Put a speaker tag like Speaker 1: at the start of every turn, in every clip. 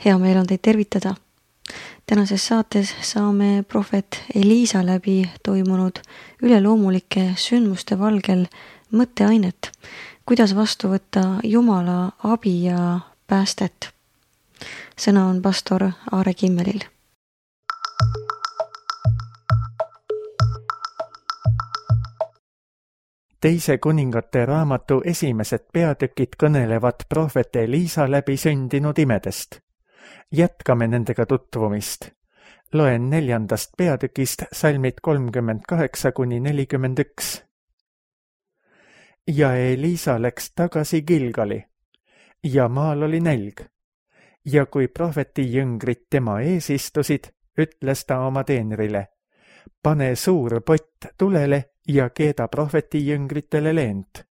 Speaker 1: Hea meel on teid tervitada. Tänases saates saame prohvet Eliisa läbi toimunud üleloomulike sündmuste valgel mõtteainet, kuidas vastu võtta Jumala abi ja päästet. Sõna on pastor Aare Kimmelil.
Speaker 2: Teise kuningate raamatu esimesed peatükid kõnelevad prohvet Eliisa läbi sündinud imedest. Jätkame nendega tutvumist. Loen 4. peatükist salmid 38-41. Ja Eliisa läks tagasi Gilgali, ja maal oli nälg. Ja kui prohveti jüngrid tema ees istusid, ütles ta oma teenrile, pane suur pott tulele ja keeda prohveti jüngritele leent.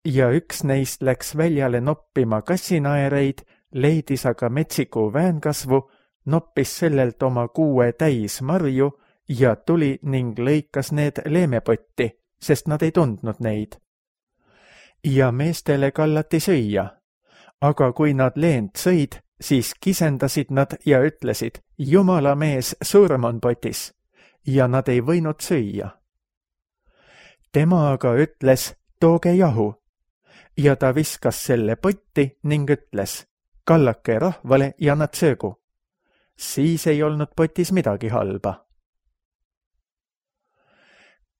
Speaker 2: Ja üks neist läks väljale noppima kassinaereid, leidis aga metsiku väänkasvu, noppis sellelt oma 6 täis marju ja tuli ning lõikas need leemepotti, sest nad ei tundnud neid. Ja meestele kallati süüa, aga kui nad leent sõid, siis kisendasid nad ja ütlesid, Jumala mees, surm on potis, ja nad ei võinud süüa. Tema aga ütles, tooge jahu, ja ta viskas selle potti ning ütles, kallake rahvale ja nad söögu. Siis ei olnud potis midagi halba.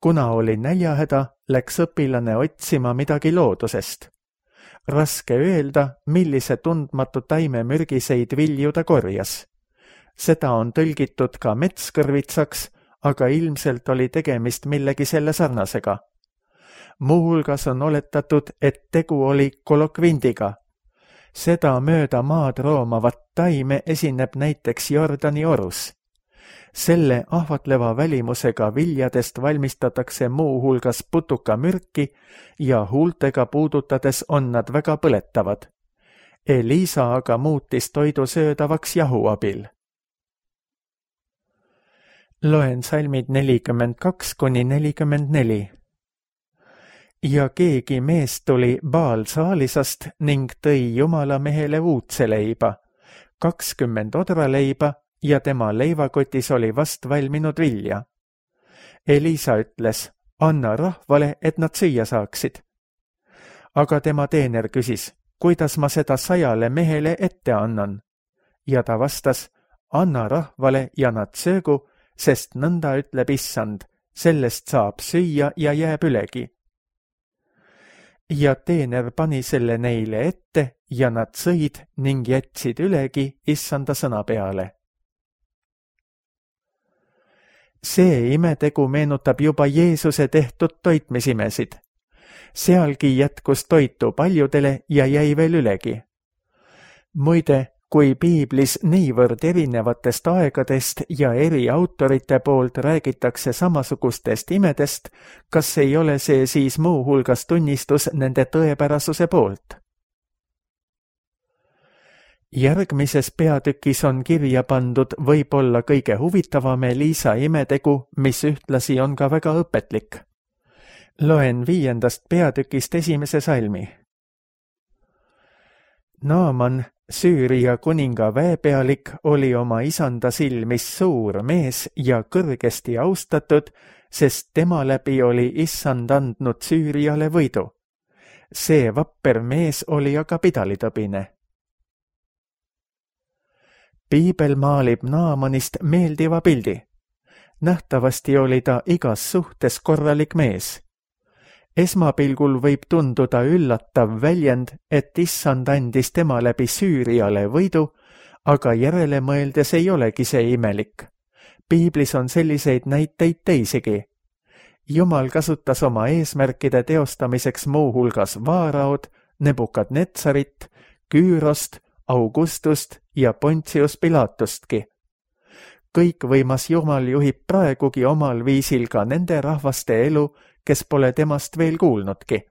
Speaker 2: Kuna oli näljahäda, läks õpilane otsima midagi loodusest. Raske öelda, millise tundmatu taime mürgiseid vilju ta korjas. Seda on tõlgitud ka metskõrvitsaks, aga ilmselt oli tegemist millegi selle sarnasega. Muuhulgas on oletatud, et tegu oli kolokvindiga. Seda mööda maad roomavat taime esineb näiteks Jordani orus. Selle ahvatleva välimusega viljadest valmistatakse muuhulgas putukamürki ja huultega puudutades on nad väga põletavad. Eliisa aga muutis toidu söödavaks jahu abil. Loen salmid 42-44. Ja keegi mees tuli Baal-Saalisast ning tõi Jumala mehele uudseleiba, 20 odraleiba ja tema leivakotis oli vast valminud vilja. Eliisa ütles, anna rahvale, et nad süüa saaksid. Aga tema teener küsis, kuidas ma seda 100 mehele ette annan? Ja ta vastas, anna rahvale ja nad söögu, sest nõnda ütleb issand, sellest saab süüa ja jääb ülegi. Ja teener pani selle neile ette ja nad sõid ning jätsid ülegi issanda sõna peale. See imetegu meenutab juba Jeesuse tehtud toitmisimesid. Sealgi jätkus toitu paljudele ja jäi veel ülegi. Muide, kui piiblis niivõrd erinevatest aegadest ja eri autorite poolt räägitakse samasugustest imedest, kas ei ole see siis muuhulgas tunnistus nende tõepärasuse poolt? Järgmises peatükis on kirja pandud võib-olla kõige huvitavam Eliisa imetegu, mis ühtlasi on ka väga õpetlik. Loen 5. peatükist 1. salmi. Naaman, Süüria kuninga väepealik, oli oma isanda silmis suur mees ja kõrgesti austatud, sest tema läbi oli issand andnud Süüriale võidu. See vapper mees oli aga pidalitõbine. Piibel maalib Naamanist meeldiva pildi. Nähtavasti oli ta igas suhtes korralik mees. Esmapilgul võib tunduda üllatav väljend, et issand andis tema läbi Süüriale võidu, aga järele mõeldes ei olegi see imelik. Piiblis on selliseid näiteid teisigi. Jumal kasutas oma eesmärkide teostamiseks muuhulgas Vaaraod, Nebukadnetsarit, Küürost, Augustust ja Pontius Pilatustki. Kõikvõimas Jumal juhib praegugi omal viisil ka nende rahvaste elu, kes pole temast veel kuulnudki.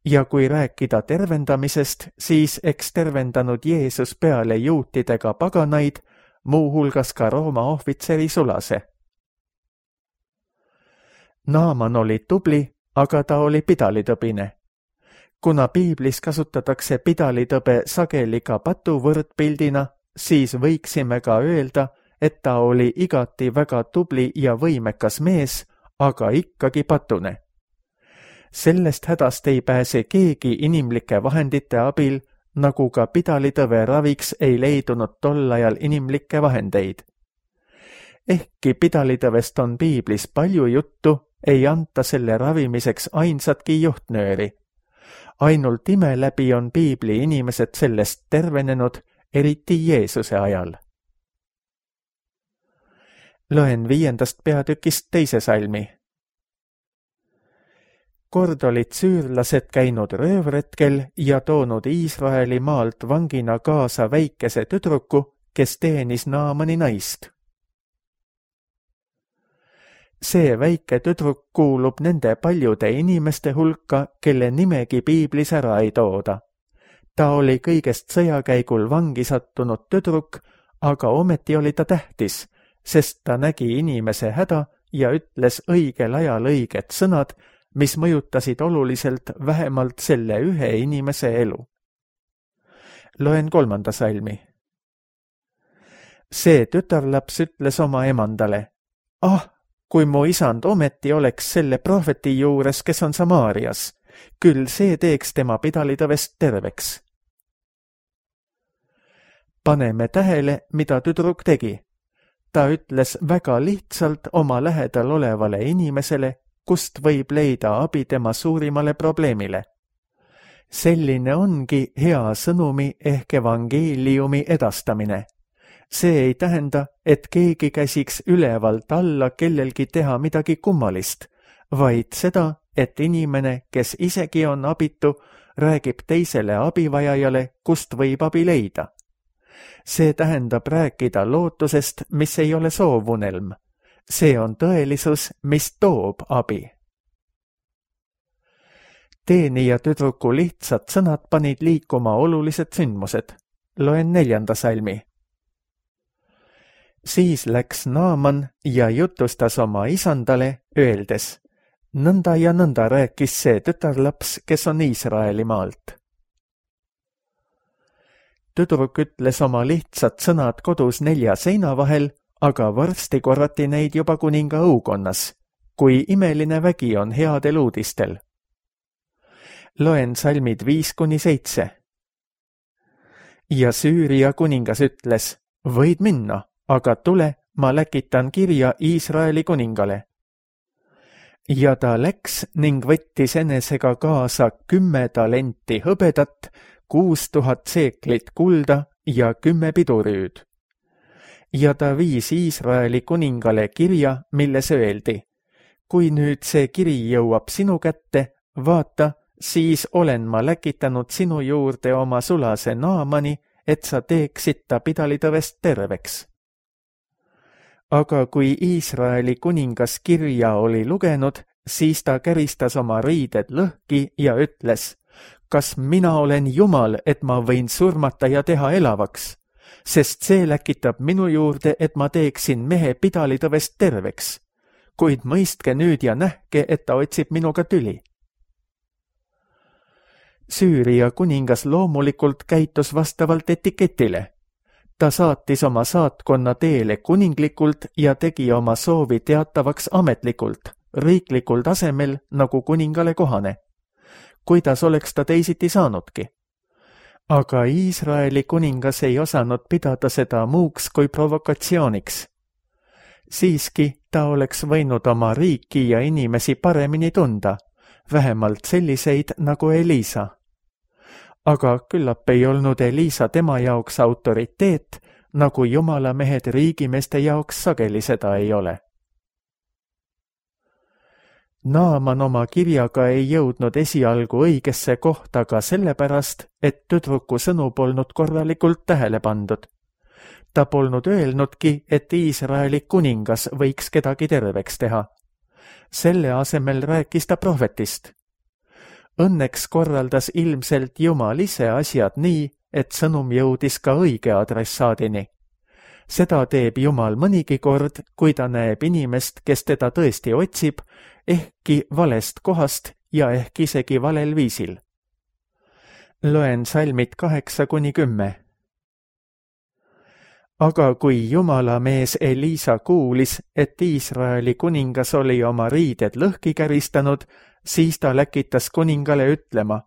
Speaker 2: Ja kui rääkida tervendamisest, siis eks tervendanud Jeesus peale juutidega paganaid, muuhulgas ka Rooma ohvitseri sulase. Naaman oli tubli, aga ta oli pidalitõbine. Kuna piiblis kasutatakse pidalitõbe sageli ka patu võrdpildina, siis võiksime ka öelda, et ta oli igati väga tubli ja võimekas mees, aga ikkagi patune. Sellest hädast ei pääse keegi inimlike vahendite abil, nagu ka pidalitõve raviks ei leidunud tol ajal inimlikke vahendeid. Ehkki pidalitõvest on piiblis palju juttu, ei anta selle ravimiseks ainsatki juhtnööri. Ainult ime läbi on piibli inimesed sellest tervenenud, eriti Jeesuse ajal. Loen 5. peatükist 2. salmi. Kord olid süürlased käinud röövretkel ja toonud Iisraeli maalt vangina kaasa väikese tüdruku, kes teenis Naamani naist. See väike tüdruk kuulub nende paljude inimeste hulka, kelle nimegi piiblis ära ei tooda. Ta oli kõigest sõjakäigul vangi sattunud tüdruk, aga ometi oli ta tähtis, sest ta nägi inimese häda ja ütles õigel ajal õiged sõnad, mis mõjutasid oluliselt vähemalt selle ühe inimese elu. Loen 3. salmi. See tütarlaps ütles oma emandale, kui mu isand ometi oleks selle prohveti juures, kes on Samaarias, küll see teeks tema pidalitõvest terveks. Paneme tähele, mida tüdruk tegi. Ta ütles väga lihtsalt oma lähedal olevale inimesele, kust võib leida abi tema suurimale probleemile. Selline ongi hea sõnumi ehk evangeeliumi edastamine. See ei tähenda, et keegi käsiks ülevalt alla kellelgi teha midagi kummalist, vaid seda, et inimene, kes isegi on abitu, räägib teisele abivajajale, kust võib abi leida. See tähendab rääkida lootusest, mis ei ole soovunelm. See on tõelisus, mis toob abi. Teenija tüdruku lihtsad sõnad panid liikuma olulised sündmused. Loen 4. salmi. Siis läks Naaman ja jutustas oma isandale, öeldes, nõnda ja nõnda rääkis see tütarlaps, kes on Iisraeli maalt. Tüdruk ütles oma lihtsad sõnad kodus 4 seina vahel, aga varsti korrati neid juba kuninga õukonnas, kui imeline vägi on headel uudistel. Loen salmid 5-7. Ja Süüria kuningas ütles, võid minna, aga tule, ma läkitan kirja Iisraeli kuningale. Ja ta läks ning võttis enesega kaasa 10 talenti hõbedat, 6000 seeklit kulda ja 10 pidurüüd. Ja ta viis Iisraeli kuningale kirja, milles öeldi, kui nüüd see kiri jõuab sinu kätte, vaata, siis olen ma läkitanud sinu juurde oma sulase Naamani, et sa teeksid ta pidalitõvest terveks. Aga kui Iisraeli kuningas kirja oli lugenud, siis ta käristas oma riided lõhki ja ütles, kas mina olen Jumal, et ma võin surmata ja teha elavaks, sest see läkitab minu juurde, et ma teeksin mehe pidalitõvest terveks, kuid mõistke nüüd ja nähke, et ta otsib minuga tüli. Süüria kuningas loomulikult käitus vastavalt etiketile. Ta saatis oma saatkonna teele kuninglikult ja tegi oma soovi teatavaks ametlikult, riiklikul tasemel nagu kuningale kohane. Kuidas oleks ta teisiti saanudki? Aga Iisraeli kuningas ei osanud pidada seda muuks kui provokatsiooniks. Siiski ta oleks võinud oma riiki ja inimesi paremini tunda, vähemalt selliseid nagu Elisa. Aga küllap ei olnud Elisa tema jaoks autoriteet, nagu jumala mehed riigimeeste jaoks sageli seda ei ole. Naaman oma kirjaga ei jõudnud esialgu õigesse kohta ka sellepärast, et tüdruku sõnu polnud korralikult tähele pandud. Ta polnud öelnudki, et Iisraeli kuningas võiks kedagi terveks teha. Selle asemel rääkis ta prohvetist. Õnneks korraldas ilmselt Jumal ise asjad nii, et sõnum jõudis ka õige adressaadini. Seda teeb Jumal mõnigi kord, kui ta näeb inimest, kes teda tõesti otsib, ehkki valest kohast ja ehk isegi valel viisil. Loen salmid 8-10. Aga kui Jumala mees Eliisa kuulis, et Iisraeli kuningas oli oma riided lõhki käristanud, siis ta läkitas kuningale ütlema: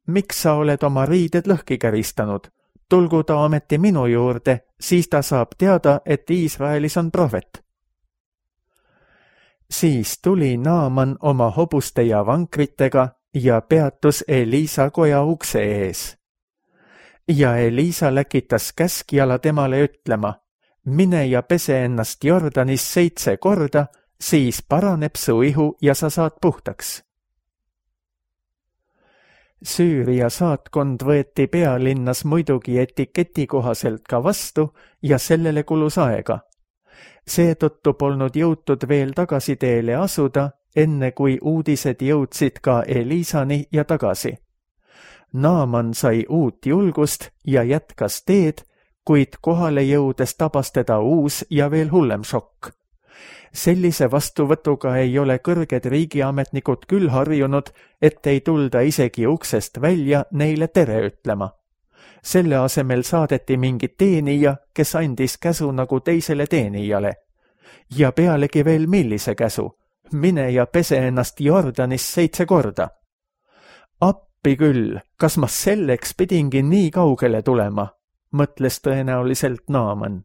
Speaker 2: miks sa oled oma riided lõhki käristanud? Tulgu ta ometi minu juurde, siis ta saab teada, et Iisraelis on prohvet. Siis tuli Naaman oma hobuste ja vankritega ja peatus Eliisa koja ukse ees. Ja Eliisa läkitas käskjala temale ütlema: mine ja pese ennast Jordanis 7 korda, siis paraneb su ihu ja sa saad puhtaks. Süüria saatkond võeti pealinnas muidugi etiketi kohaselt ka vastu ja sellele kulus aega. Seetõttu polnud jõutud veel tagasiteele asuda, enne kui uudised jõudsid ka Eliisani ja tagasi. Naaman sai uut julgust ja jätkas teed, kuid kohale jõudes tabas teda uus ja veel hullem šokk. Sellise vastuvõtuga ei ole kõrged riigiametnikud küll harjunud, et ei tulda isegi uksest välja neile tere ütlema. Selle asemel saadeti mingi teenija, kes andis käsu nagu teisele teenijale. Ja pealegi veel millise käsu? Mine ja pese ennast Jordanis 7 korda. Appi küll, kas ma selleks pidingi nii kaugele tulema, mõtles tõenäoliselt Naaman.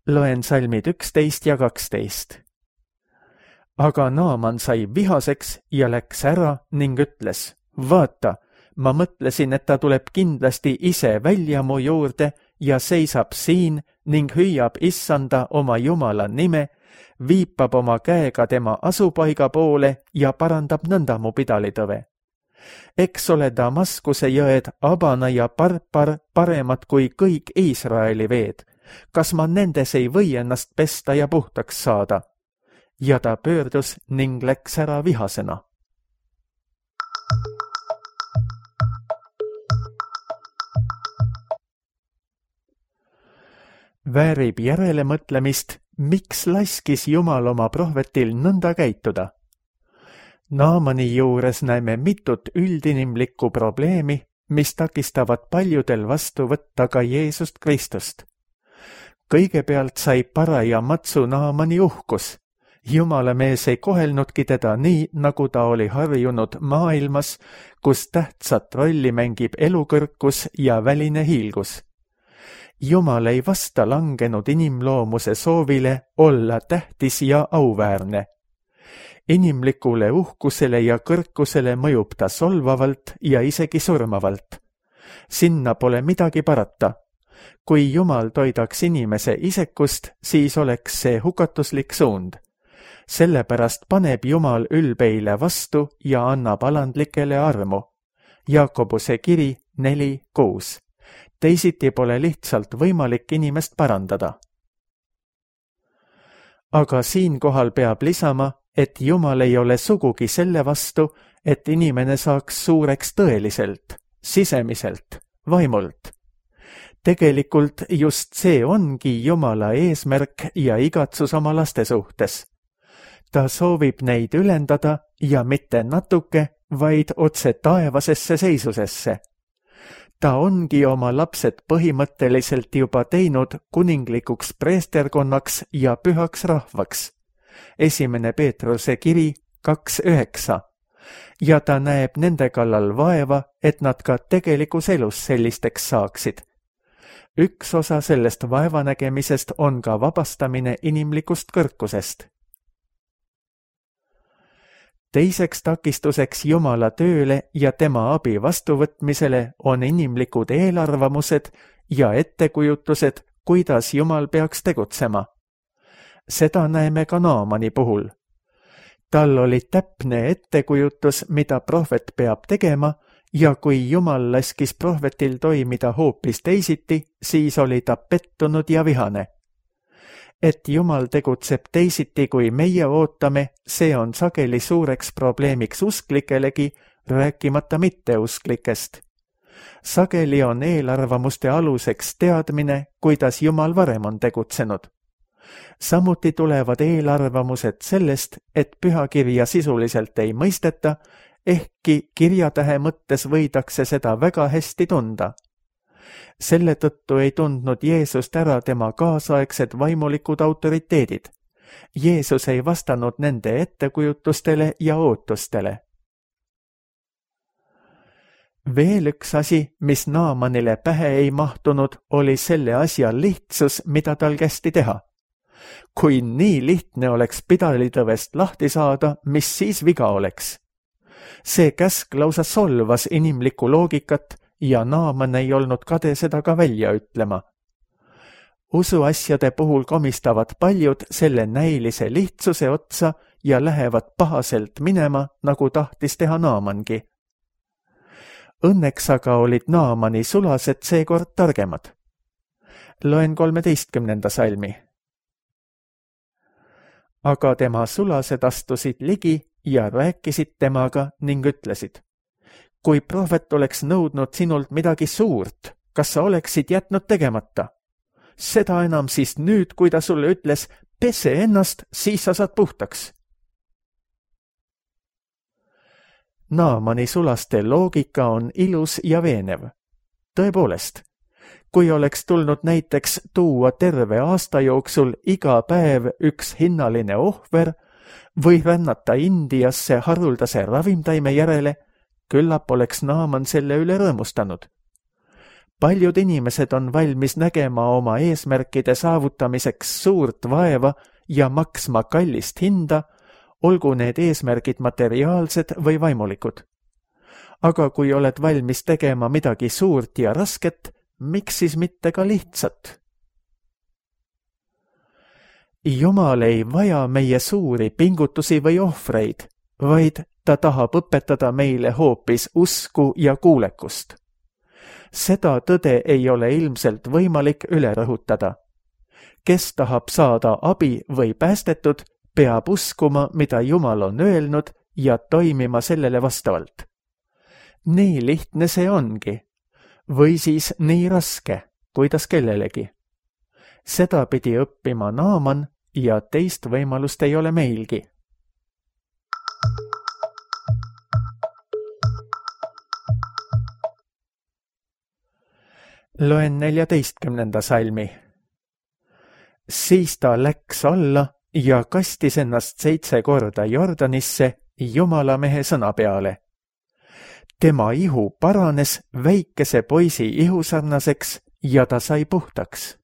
Speaker 2: Loen salmid 11 ja 12. Aga Naaman sai vihaseks ja läks ära ning ütles: vaata, ma mõtlesin, et ta tuleb kindlasti ise välja mu juurde ja seisab siin ning hüüab issanda oma Jumala nime, viipab oma käega tema asupaiga poole ja parandab nõnda mu pidalitõve. Eks ole Damaskuse jõed Abana ja Parpar paremad kui kõik Iisraeli veed. Kas ma nendes ei või ennast pesta ja puhtaks saada? Ja ta pöördus ning läks ära vihasena. Väärib järelemõtlemist, miks laskis Jumal oma prohvetil nõnda käituda. Naamani juures näeme mitut üldinimlikku probleemi, mis takistavad paljudel vastu võtta ka Jeesust Kristust. Kõigepealt sai paraja matsu Naamani uhkus. Jumala mees ei kohelnudki teda nii, nagu ta oli harjunud maailmas, kus tähtsat rolli mängib elukõrkus ja väline hiilgus. Jumal ei vasta langenud inimloomuse soovile olla tähtis ja auväärne. Inimlikule uhkusele ja kõrkusele mõjub ta solvavalt ja isegi surmavalt. Sinna pole midagi parata. Kui Jumal toidaks inimese isekust, siis oleks see hukatuslik suund. Sellepärast paneb Jumal ülbeile vastu ja annab alandlikele armu. Jaakobuse kiri 4:6. Teisiti pole lihtsalt võimalik inimest parandada. Aga siinkohal peab lisama, et Jumal ei ole sugugi selle vastu, et inimene saaks suureks tõeliselt, sisemiselt, vaimult. Tegelikult just see ongi Jumala eesmärk ja igatsus oma laste suhtes. Ta soovib neid ülendada ja mitte natuke, vaid otse taevasesse seisusesse. Ta ongi oma lapsed põhimõtteliselt juba teinud kuninglikuks preesterkonnaks ja pühaks rahvaks. 1. Peetruse kiri 2:9. Ja ta näeb nende kallal vaeva, et nad ka tegelikus elus sellisteks saaksid. Üks osa sellest vaevanägemisest on ka vabastamine inimlikust kõrkusest. Teiseks takistuseks Jumala tööle ja tema abi vastuvõtmisele on inimlikud eelarvamused ja ettekujutused, kuidas Jumal peaks tegutsema. Seda näeme ka Naamani puhul. Tal oli täpne ettekujutus, mida prohvet peab tegema, ja kui Jumal laskis prohvetil toimida hoopis teisiti, siis oli ta pettunud ja vihane. Et Jumal tegutseb teisiti, kui meie ootame, see on sageli suureks probleemiks usklikelegi, rääkimata mitteusklikest. Sageli on eelarvamuste aluseks teadmine, kuidas Jumal varem on tegutsenud. Samuti tulevad eelarvamused sellest, et pühakirja sisuliselt ei mõisteta ehkki kirjatähe mõttes võidakse seda väga hästi tunda. Selle tõttu ei tundnud Jeesust ära tema kaasaegsed vaimulikud autoriteedid. Jeesus ei vastanud nende ettekujutustele ja ootustele. Veel üks asi, mis Naamanile pähe ei mahtunud, oli selle asja lihtsus, mida tal kästi teha. Kui nii lihtne oleks pidalitõvest lahti saada, mis siis viga oleks? See käsk lausa solvas inimlikku loogikat ja Naaman ei olnud kade seda ka välja ütlema. Usuasjade puhul komistavad paljud selle näilise lihtsuse otsa ja lähevad pahaselt minema, nagu tahtis teha Naamangi. Õnneks aga olid Naamani sulased seekord targemad. Loen 13. salmi. Aga tema sulased astusid ligi ja rääkisid temaga ning ütlesid: kui prohvet oleks nõudnud sinult midagi suurt, kas sa oleksid jätnud tegemata? Seda enam siis nüüd, kui ta sulle ütles, pese ennast, siis sa saad puhtaks. Naamani sulaste loogika on ilus ja veenev. Tõepoolest, kui oleks tulnud näiteks tuua terve aasta jooksul iga päev üks hinnaline ohver või rännata Indiasse haruldase ravimtaime järele, küllap oleks Naaman selle üle rõõmustanud. Paljud inimesed on valmis nägema oma eesmärkide saavutamiseks suurt vaeva ja maksma kallist hinda, olgu need eesmärgid materiaalsed või vaimulikud. Aga kui oled valmis tegema midagi suurt ja rasket, miks siis mitte ka lihtsat? Jumal ei vaja meie suuri pingutusi või ohvreid, vaid ta tahab õpetada meile hoopis usku ja kuulekust. Seda tõde ei ole ilmselt võimalik üle rõhutada. Kes tahab saada abi või päästetud, peab uskuma, mida Jumal on öelnud ja toimima sellele vastavalt. Nii lihtne see ongi. Või siis nii raske, kuidas kellelegi. Seda pidi õppima Naaman ja teist võimalust ei ole meilgi. Loen 14. salmi. Siis ta läks alla ja kastis ennast 7 korda Jordanisse Jumala mehe sõna peale. Tema ihu paranes väikese poisi ihusarnaseks ja ta sai puhtaks.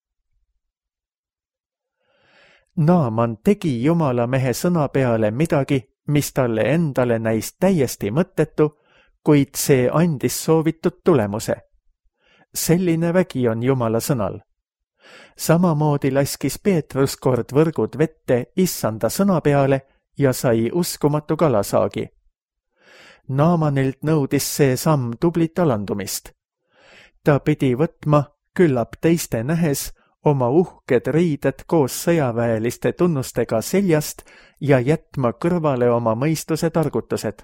Speaker 2: Naaman tegi Jumala mehe sõna peale midagi, mis talle endale näis täiesti mõttetu, kuid see andis soovitud tulemuse. Selline vägi on Jumala sõnal. Samamoodi laskis Peetrus kord võrgud vette issanda sõna peale ja sai uskumatu kalasaagi. Naamanilt nõudis see samm tublit alandumist. Ta pidi võtma, küllap teiste nähes, oma uhked riided koos sõjaväeliste tunnustega seljast ja jätma kõrvale oma mõistuse targutused.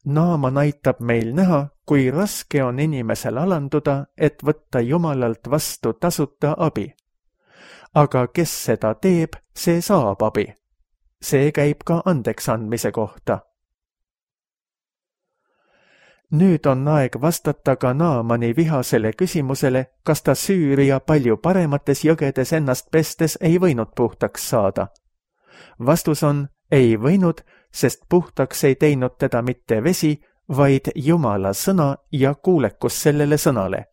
Speaker 2: Naaman aitab meil näha, kui raske on inimesel alanduda, et võtta Jumalalt vastu tasuta abi. Aga kes seda teeb, see saab abi. See käib ka andeks andmise kohta. Nüüd on aeg vastata ka Naamani vihasele küsimusele, kas ta Süüria palju paremates jõgedes ennast pestes ei võinud puhtaks saada. Vastus on, ei võinud, sest puhtaks ei teinud teda mitte vesi, vaid Jumala sõna ja kuulekus sellele sõnale.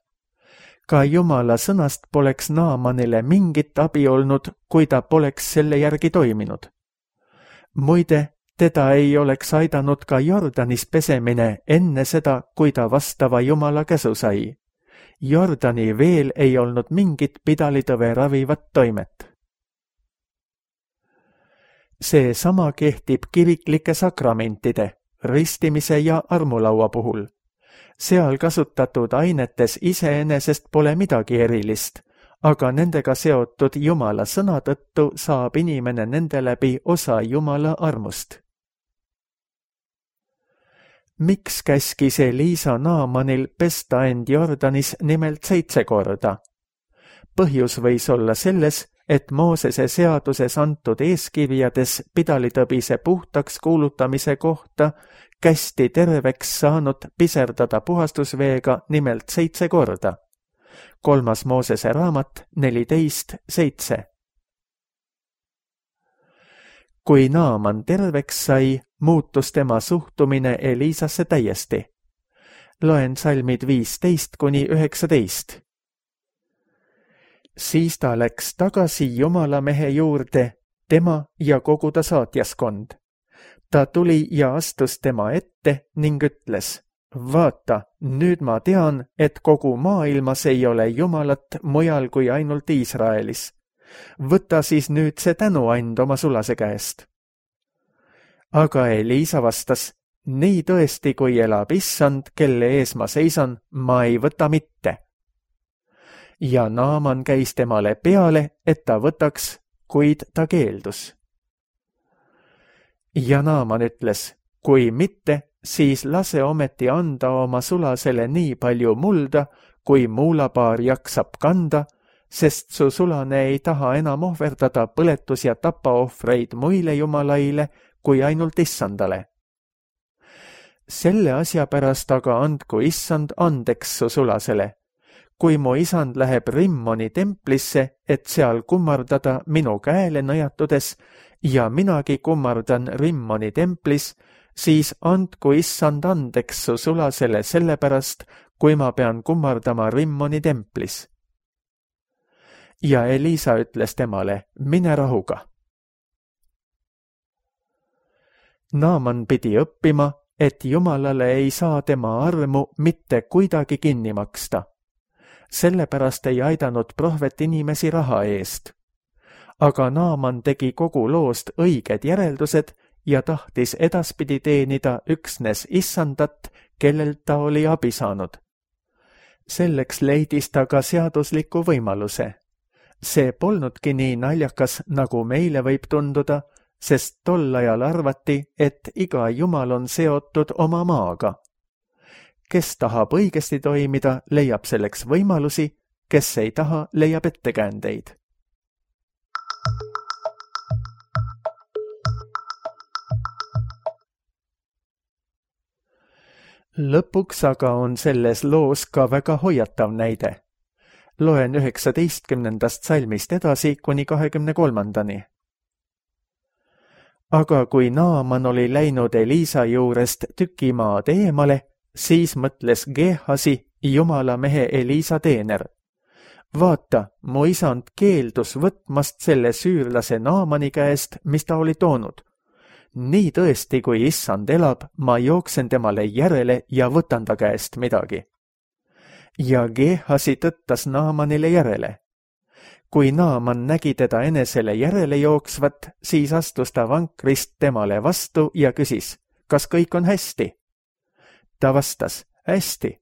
Speaker 2: Ka Jumala sõnast poleks Naamanile mingit abi olnud, kui ta poleks selle järgi toiminud. Muide, teda ei oleks aidanud ka Jordanis pesemine enne seda, kui ta vastava Jumala käsu sai. Jordani veel ei olnud mingit pidalitõve ravivat toimet. See sama kehtib kiriklike sakramentide, ristimise ja armulaua puhul. Seal kasutatud ainetes iseenesest pole midagi erilist, aga nendega seotud Jumala sõna tõttu saab inimene nende läbi osa Jumala armust. Miks käskis Eliisa Naamanil pesta end Jordanis nimelt 7 korda? Põhjus võis olla selles, et Moosese seaduses antud eeskirjades pidalitõbise puhtaks kuulutamise kohta kästi terveks saanud piserdada puhastusveega nimelt 7 korda. 3. Moosese raamat 14:7. Kui Naaman terveks sai, muutus tema suhtumine Eliisasse täiesti. Loen salmid 15-19. Siis ta läks tagasi Jumala mehe juurde, tema ja kogu ta saatjaskond. Ta tuli ja astus tema ette ning ütles, vaata, nüüd ma tean, et kogu maailmas ei ole Jumalat mujal kui ainult Iisraelis. Võta siis nüüd see tänuand oma sulase käest. Aga Eliisa vastas, nii tõesti, kui elab Issand, kelle ees ma seisan, ma ei võta mitte. Ja Naaman käis temale peale, et ta võtaks, kuid ta keeldus. Ja Naaman ütles, kui mitte, siis lase ometi anda oma sulasele nii palju mulda, kui muulapaar jaksab kanda, sest su sulane ei taha enam ohverdada põletus- ja tapaohvreid muile jumalaile, kui ainult Issandale. Selle asja pärast aga andku Issand andeks su sulasele. Kui mu isand läheb Rimmoni templisse, et seal kummardada minu käele nõjatudes ja minagi kummardan Rimmoni templis, siis andku Issand andeks su sulasele sellepärast, kui ma pean kummardama Rimmoni templis. Ja Eliisa ütles temale, mine rahuga. Naaman pidi õppima, et Jumalale ei saa tema armu mitte kuidagi kinni maksta. Sellepärast ei aidanud prohvet inimesi raha eest. Aga Naaman tegi kogu loost õiged järeldused ja tahtis edaspidi teenida üksnes Issandat, kellelt ta oli abi saanud. Selleks leidis ta ka seadusliku võimaluse. See polnudki nii naljakas, nagu meile võib tunduda, sest tol ajal arvati, et iga jumal on seotud oma maaga. Kes tahab õigesti toimida, leiab selleks võimalusi, kes ei taha, leiab ettekäändeid. Lõpuks aga on selles loos ka väga hoiatav näide. Loen 19. salmist edasi kuni 23. Aga kui Naaman oli läinud Eliisa juurest tükimaad eemale, siis mõtles Geehasi, Jumala mehe Eliisa teener. Vaata, mu isand keeldus võtmast selle süürlase Naamani käest, mis ta oli toonud. Nii tõesti, kui Issand elab, ma jooksen temale järele ja võtan ta käest midagi. Ja Geehasi tõttas Naamanile järele. Kui Naaman nägi teda enesele järele jooksvat, siis astus ta vankrist temale vastu ja küsis, kas kõik on hästi? Ta vastas, hästi.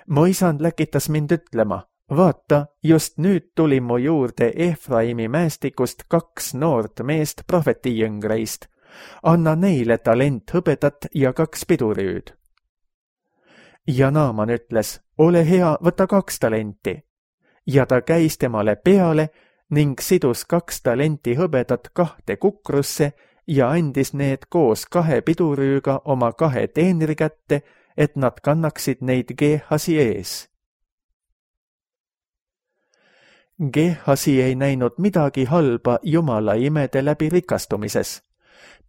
Speaker 2: Mu isand läkitas mind ütlema, vaata, just nüüd tuli mu juurde Efraimi mäestikust 2 noort meest prohvetijõngreist. Anna neile talent hõbedat ja 2 piduriüüd. Ja Naaman ütles, ole hea, võta 2 talenti. Ja ta käis temale peale ning sidus 2 talenti hõbedat 2 kukrusse ja andis need koos 2 pidurüüga oma 2 teenri kätte, et nad kannaksid neid Geehasi ees. Geehasi ei näinud midagi halba Jumala imede läbi rikastumises.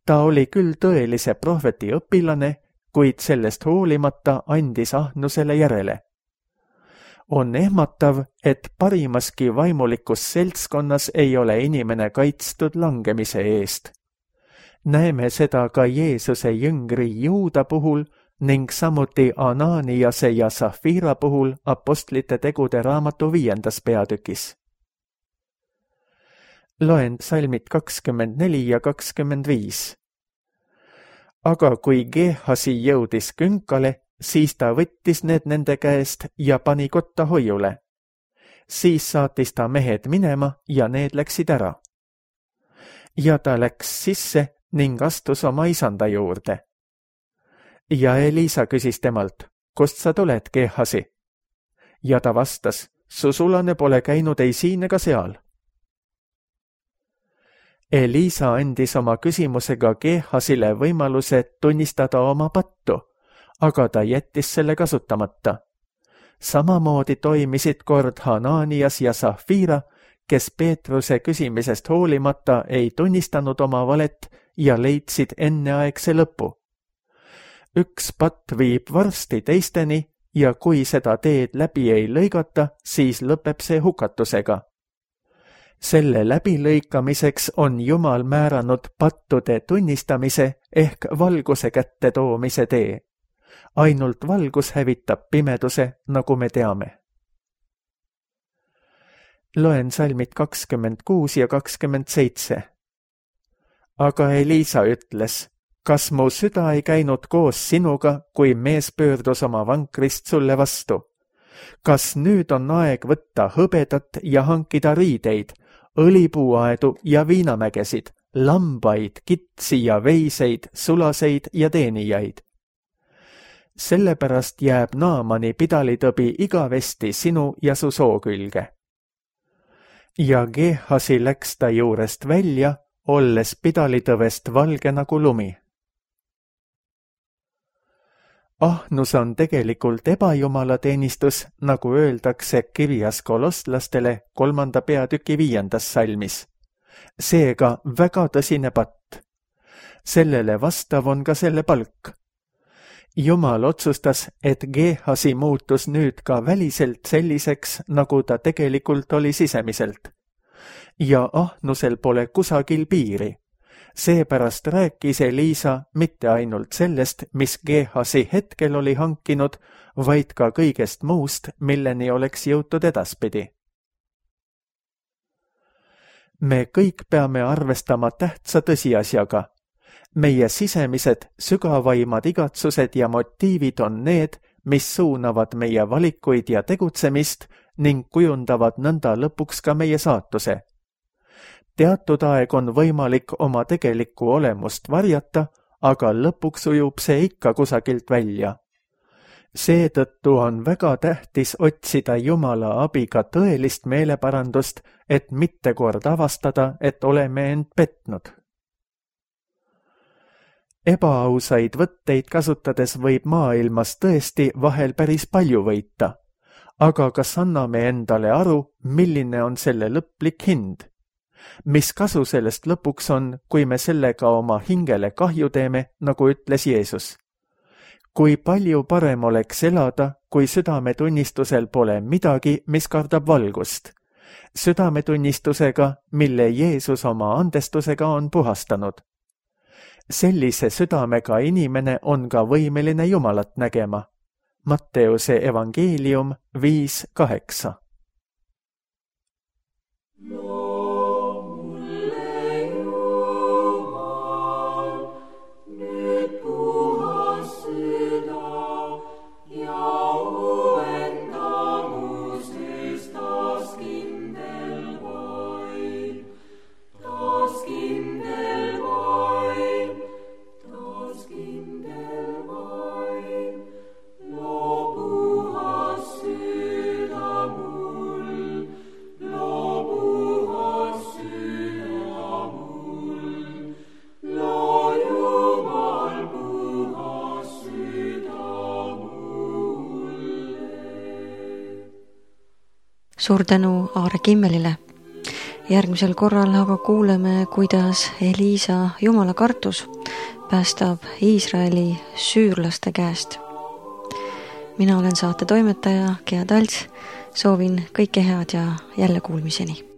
Speaker 2: Ta oli küll tõelise prohveti õpilane, kuid sellest hoolimata andis ahnusele järele. On ehmatav, et parimaski vaimulikus seltskonnas ei ole inimene kaitstud langemise eest. Näeme seda ka Jeesuse jüngri Juuda puhul ning samuti Ananiase ja Safira puhul Apostlite tegude raamatu 5. peatükis. Loen salmid 24 ja 25. Aga kui Geehasi jõudis künkale, siis ta võttis need nende käest ja pani kotta hoiule. Siis saatis ta mehed minema ja need läksid ära. Ja ta läks sisse ning astus oma isanda juurde. Ja Eliisa küsis temalt, kust sa tuled, Geehasi? Ja ta vastas, su sulane pole käinud ei siin ega seal. Elisa andis oma küsimusega Geehasile võimaluse tunnistada oma pattu, aga ta jättis selle kasutamata. Samamoodi toimisid kord Hananias ja Safira, kes Peetruse küsimisest hoolimata ei tunnistanud oma valet ja leidsid enneaegse lõpu. Üks patt viib varsti teisteni ja kui seda teed läbi ei lõigata, siis lõpeb see hukatusega. Selle läbilõikamiseks on Jumal määranud pattude tunnistamise ehk valguse kätte toomise tee. Ainult valgus hävitab pimeduse, nagu me teame. Loen salmid 26 ja 27. Aga Elisa ütles, kas mu süda ei käinud koos sinuga, kui mees pöördus oma vankrist sulle vastu? Kas nüüd on aeg võtta hõbedat ja hankida riideid, õlipuuaedu ja viinamägesid, lambaid, kitsi ja veiseid, sulaseid ja teenijaid? Sellepärast jääb Naamani pidalitõbi igavesti sinu ja su soo külge. Ja Geehasi läks ta juurest välja, olles pidalitõvest valge nagu lumi. Ahnus on tegelikult ebajumalateenistus, nagu öeldakse kirjas kolostlastele 3. peatüki 5. salmis. Seega väga tõsine patt. Sellele vastav on ka selle palk. Jumal otsustas, et Geehasi muutus nüüd ka väliselt selliseks, nagu ta tegelikult oli sisemiselt. Ja ahnusel pole kusagil piiri. Seepärast rääkis Elisa mitte ainult sellest, mis Geehasi hetkel oli hankinud, vaid ka kõigest muust, milleni oleks jõutud edaspidi. Me kõik peame arvestama tähtsa tõsiasjaga. Meie sisemised, sügavaimad igatsused ja motiivid on need, mis suunavad meie valikuid ja tegutsemist ning kujundavad nõnda lõpuks ka meie saatuse. Teatud aeg on võimalik oma tegelikku olemust varjata, aga lõpuks ujub see ikka kusagilt välja. Seetõttu on väga tähtis otsida Jumala abiga tõelist meeleparandust, et mitte kord avastada, et oleme end petnud. Ebaausaid võtteid kasutades võib maailmas tõesti vahel päris palju võita, aga kas anname endale aru, milline on selle lõplik hind? Mis kasu sellest lõpuks on, kui me sellega oma hingele kahju teeme, nagu ütles Jeesus? Kui palju parem oleks elada, kui südametunnistusel pole midagi, mis kardab valgust? Südametunnistusega, mille Jeesus oma andestusega on puhastanud. Sellise südamega inimene on ka võimeline Jumalat nägema. Matteuse evangeelium 5:8.
Speaker 1: Suur tänu Aare Kimmelile. Järgmisel korral aga kuuleme, kuidas Elisa Jumala kartus päästab Iisraeli süürlaste käest. Mina olen saate toimetaja Gea Talts, soovin kõike head ja jälle kuulmiseni.